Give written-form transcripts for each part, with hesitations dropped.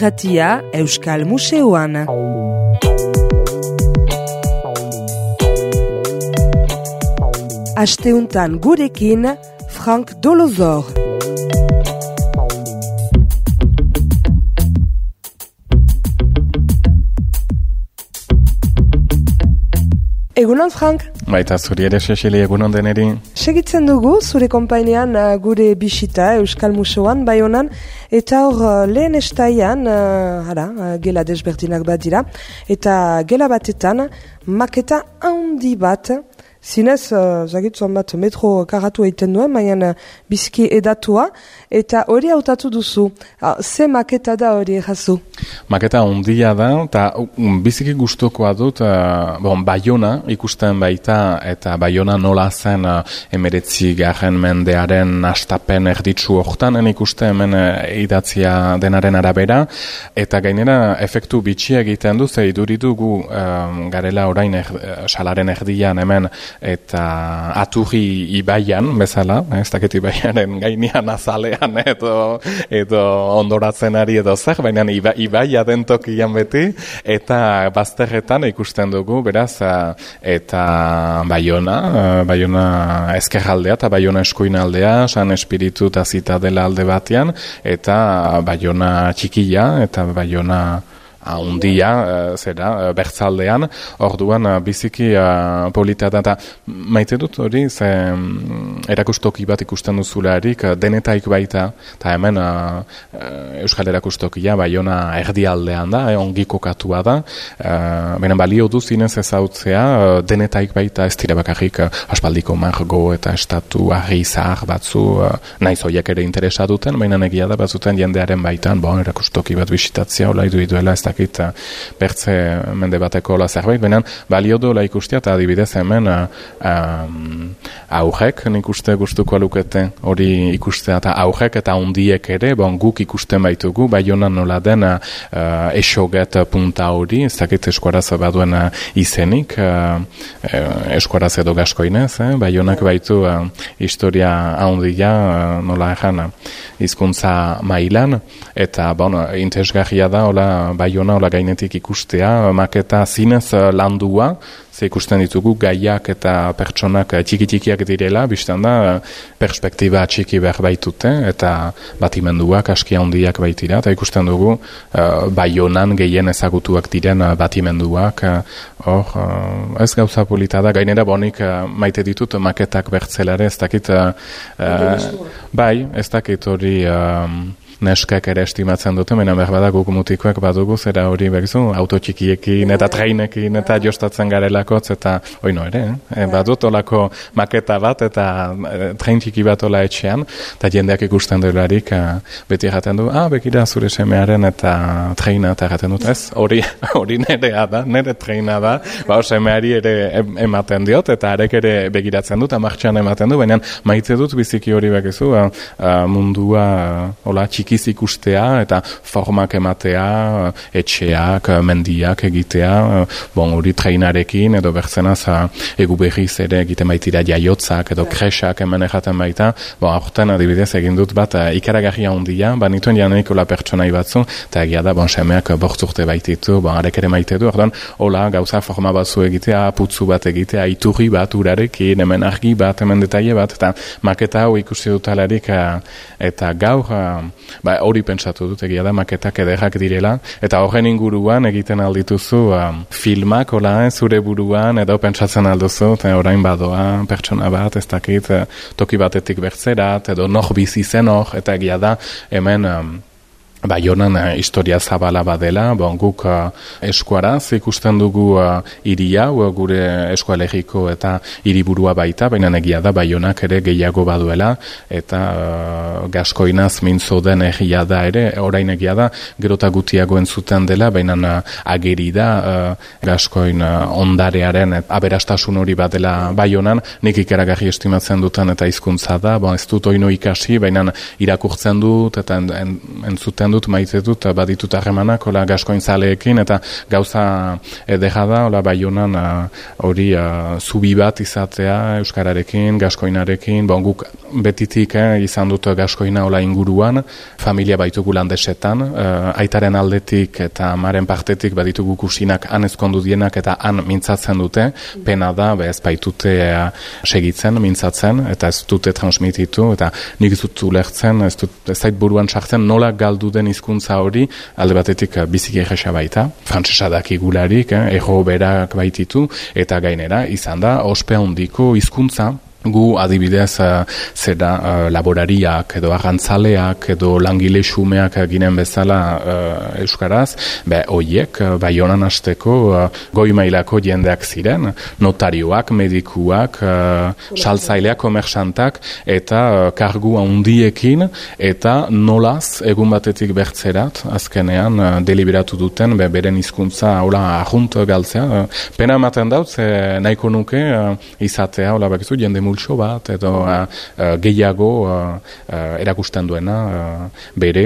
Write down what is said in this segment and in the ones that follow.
irratia Euskal Museoan. Asteuntan gurekin Frank Dolozor. Egunon, Frank? Baita zuri ere, Cecili, egunon deneri. Segitzen dugu, zure konpainean gure bisita Euskal Museoan, Baionan, eta hor lehen estaian, gela desberdinak bat dira, eta gela batetan, maketa handi bat, zinez, zagitzon bat metro karatu egiten duen, mainan bizki edatua, eta hori hautatu duzu. Ze maketa da hori jazu? Maketa ondia da, eta biziki gustukoa dut, Baiona ikusten baita, eta Baiona nola zen 19. mendearen hastapen erditsu hortan, ikusten hemen idatzia denaren arabera, eta gainera efektu bitxia egiten du, ze iduridugu garela orain salaren erdian hemen, eta Aturri ibaian, bezala, ez dakit ibaiaren gainean azalean edo ondoratzen ari edo zer, baina ibaia den tokian beti, eta bazterretan ikusten dugu, beraz, eta Baiona ezkerraldea eta Baiona eskuinaldea, San Espiritu eta Zitadela alde batean, eta Baiona txikia, eta Baiona handia, bertzaldean, orduan biziki polita da, eta maite dut hori, ze erakustoki bat ikusten duzularik, denetaik baita, eta hemen Euskal erakustokia Baiona erdialdean da, ongi kokatua da, benen balio du zinez ezautzea, denetaik baita ez dira bakarrik aspaldiko margo eta estatu argi zahar batzu, naiz horiek ere interesa duten, baina egia da batzuten jendearen baitan, erakustoki bat bisitatzea, hola iduela ez bertze mende bateko la zerbait, benen balio dola ikustia, eta adibidez hemen aurrek nik uste gustuko lukete hori ikustea, eta aurrek eta hundiek ere, guk ikusten baitugu, Baiona nola den esoget punta hori, ez dakit eskuaraz baduen izenik, eskuaraz edo gaskoinez, Baionak baitu historia handia nola egan hizkuntza mailan, eta interesgarria da hola Baiona hola gainetik ikustea, maketa zinez landua, ze ikusten ditugu gaiak eta pertsonak txiki-txikiak direla, biztan da perspektiba txiki behar baitute, eta batimenduak aski handiak baitira, eta ikusten dugu Baionan gehien ezagutuak diren batimenduak, ez gauza polita da, gainera bonik maite ditut maketak bertzelare, ez dakit, ez dakit hori neskak ere estimatzen dute, mena berbada guk mutikoak badugu, zera hori begizu, autotxikiekin eta treinekin eta jostatzen garelakotz, eta oino ere, badut olako maketa bat eta trein txiki bat ola etxean, eta jendeak ikusten delarik beti erraten du, bekira zure semearen eta treina, eta erraten dut, ez, hori nerea da, nere treina da, semeari ere ematen diot, eta arek ere begiratzen dut, martxan ematen du, baina maite dut biziki hori begizu, mundua ola txiki ikustea eta formak ematea, etxeak, mendiak egitea, hori treinarekin edo bertzenaz egu berriz ere egiten baitira jaiotzak edo kresak hemen erraten baita, aurten adibidez egin dut bat ikaragarria handia, nituen janeiko la pertsonai batzu, eta egia da, semeak bortzurte baititu, arek ere maite du, orduan, hola, gauza forma batzu egitea, putzu bat egitea, iturri bat urarekin, hemen argi bat, hemen detaile bat, eta maketa hau ikusi dutalarik, eta gaur, hori pentsatu dut, egia da, maketak ederrak direla, eta horren inguruan egiten aldituzu filmak, zure buruan, edo pentsatzen alduzu, eta orain badoa, pertsona bat, ez dakit, toki batetik bertzerat, edo nor bizi zen hor, eta egia da, hemen Baionan historia zabala badela, guk eskuaraz ikusten dugu hiria, gure eskualegiko eta hiriburua baita, baina egia da Baionak ere gehiago baduela, eta gaskoinaz mintzo den egia da ere, orain egia da, gerota gutiago entzuten dela, baina ageri da gaskoin ondarearen aberastasun hori badela Baionan, nik ikaragarri estimatzen dutan eta hizkuntza da, ez dut oino ikasi, baina irakurtzen dut eta entzuten dut, maite dut, baditut harremanak, hola gaskoin zaleekin, eta gauza edera da, hola Baionan hori zubi bat izatea euskararekin, gaskoinarekin, bon, guk betitik izan dut gaskoina hola inguruan, familia baitugu landesetan, aitaren aldetik eta amaren partetik baditugu kusinak han ezkondu dienak eta han mintzatzen dute, pena da, ez baitute segitzen, mintzatzen, eta ez dute transmititu, eta nik ez dut ulertzen, ez zait buruan sartzen, nola galdu den hizkuntza hori, alde batetik biziki egesa baita, frantsesa dakigularik, erro berak baititu, eta gainera, izan da, ospe handiko hizkuntza, gu adibidez laborariak edo arrantzaleak edo langile xumeak ginen bezala euskaraz, hoiek Baionan hasteko goi mailako jendeak ziren, notarioak, medikuak, saltzaileak, komersantak eta kargu handiekin eta nolaz egun batetik bertzerat azkenean deliberatu duten beren hizkuntza hola arrunt galtzea. Pena ematen daut, nahiko nuke izatea hola bakizu jende multxo bat, edo gehiago erakusten duena bere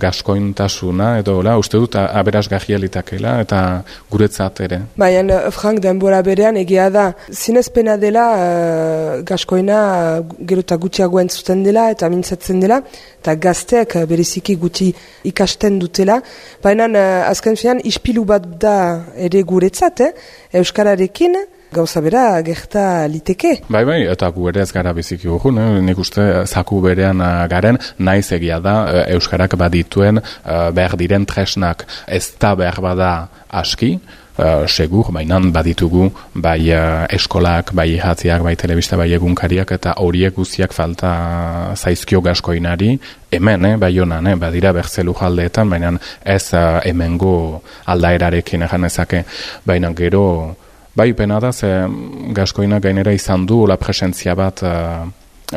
gaskointasuna, edo uste dut aberasgarria litakela, eta guretzat ere. Baina, Frank, denbora berean egia da, zinezpena dela gaskoina gero eta gutxiago entzuten dela, eta mintzatzen dela, eta gazteak bereziki guti ikasten dutela, baina azken finan ispilu bat da ere guretzat, euskararekin, gauza bera gerta liteke. Bai, eta gu ere ez gara biziki urrun, nik uste zaku berean garen, naiz egia da euskarak badituen behar diren tresnak, ez da behar bada aski, segur, baina baditugu bai eskolak, bai jatziak, bai telebista, bai egunkariak, eta horiek guztiak falta zaizkio gaskoinari, hemen, Baionan, badira bertzelu jaldeetan, baina ez hemengo aldaerarekin egan ezake, baina gero bai, pena da, ze gaskoina gainera izan du la presentzia bat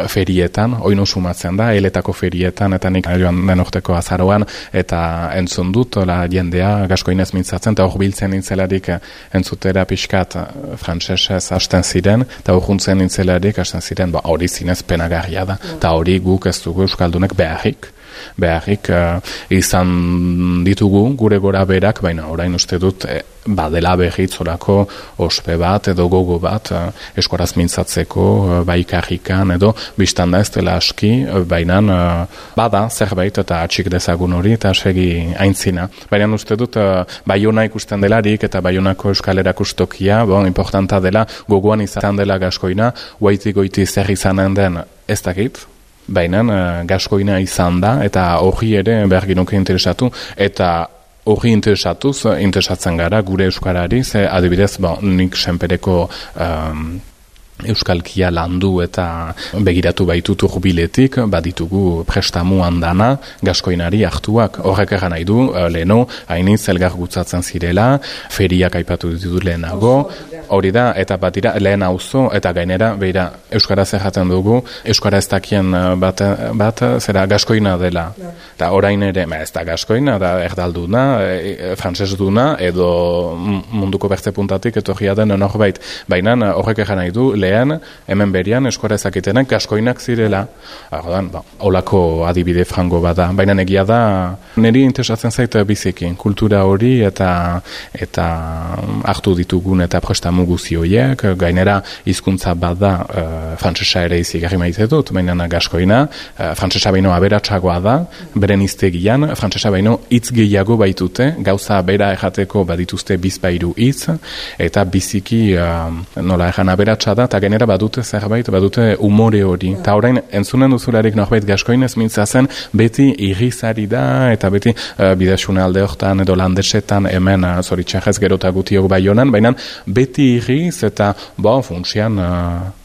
ferietan, oino sumatzen da, eletako ferietan, eta nik joan den urteko azaroan, eta entzun dut, jendea gaskoinez mintzatzen, eta hor biltzen nintzelarik entzutera pixkat frantsesez hasten ziren, eta hor juntzen nintzelarik hasten ziren, hori zinez penagarria da, eta hori guk ez dugu euskaldunek beharrik izan ditugu gure gora berak, baina orain uste dut badela berritzorako ospe bat edo gogo bat eskoraz mintzatzeko bai karrikan edo biztan da ez dela aski, baina bada zerbait eta atxik dezagun hori eta segi aintzina. Baina uste dut Baiona ikusten delarik eta Baionako euskal erakustokia, importanta dela gogoan izan dela gaskoina, goiti zer izanen den ez dakit, baina gaskoina izan da, eta hori ere behar ginuke interesatu, eta hori interesatzen gara gure euskarari, ze adibidez, nik senpereko euskalkia landu eta begiratu baitut urbiletik, baditugu prestamu handana gaskoinari hartuak. Horrek egan nahi du, leheno, hainiz elgar gutzatzen zirela, feriak aipatu ditut lehenago, hori da, eta batira lehen auzo, eta gainera, beira, euskaraz erraten dugu, euskara ez dakien bat zera gaskoina dela. Eta orain ere, ez da gaskoina, da erdalduna, frantsesduna, edo munduko bertze puntatik, etorria den norbait. Baina horrek egan nahi du, lehen, hemen berian eskora ezakitenak gaskoinak zirela. Olako adibide frango bada. Baina egia da, niri interesatzen zait bizikin, kultura hori eta hartu ditugun eta prestamu guzi horiek, gainera hizkuntza bada frantsesa ere izigarri maite dut, baina gaskoina, frantsesa baino aberatsagoa da, beren hiztegian, frantsesa baino hitz gehiago baitute, gauza bera errateko badituzte bizpairu hitz, eta biziki nola egan aberatsa da, eta gainera badute zerbait, badute umore hori. Eta orain, entzunen duzularik norbait gaskoinez mintzatzen, beti irrizari da, eta beti bidasune alde hortan, edo landesetan, hemen zoritxarrez gerota gutiok Baionan, baina beti irriz, eta funtsian,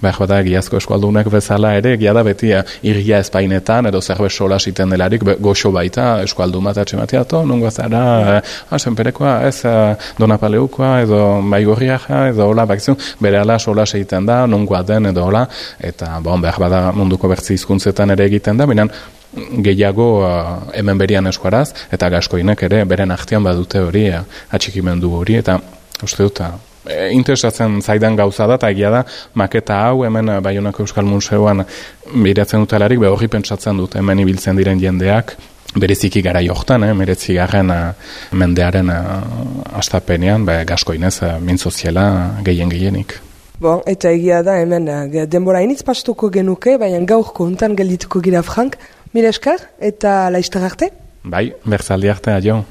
behar bada egiazko eskualdunek bezala ere, egia da beti irria espainetan, edo zerbait sola siten delarik, goxo baita, eskualdun bat atxematia, nungo zara, senperekoa, ez Donapaleukoa, edo Baigorriaja, edo hola, bakizu, bere ala sola seiten da, nungoa den, edo hola, eta behar bada munduko bertzi hizkuntzetan ere egiten da, baina gehiago hemen berian eskuaraz, eta gaskoinek ere beren artean badute hori, atxikimendu hori, eta uste dut, interesatzen zaidan gauza da, eta egia da, maketa hau hemen Baionako Euskal Museoan biratzen dutelarik, hori pentsatzen dut, hemen ibiltzen diren jendeak, bereziki gara jortan, 19. Mendearen astapenean, gaskoinez, mintzoziela gehienik. Bon, eta egia da, hemen denbora initz pastuko genuke, baina gaurko untan geldituko gira Frank. Mila esker, eta laizter arte? Bai, berzaldi arte, adio.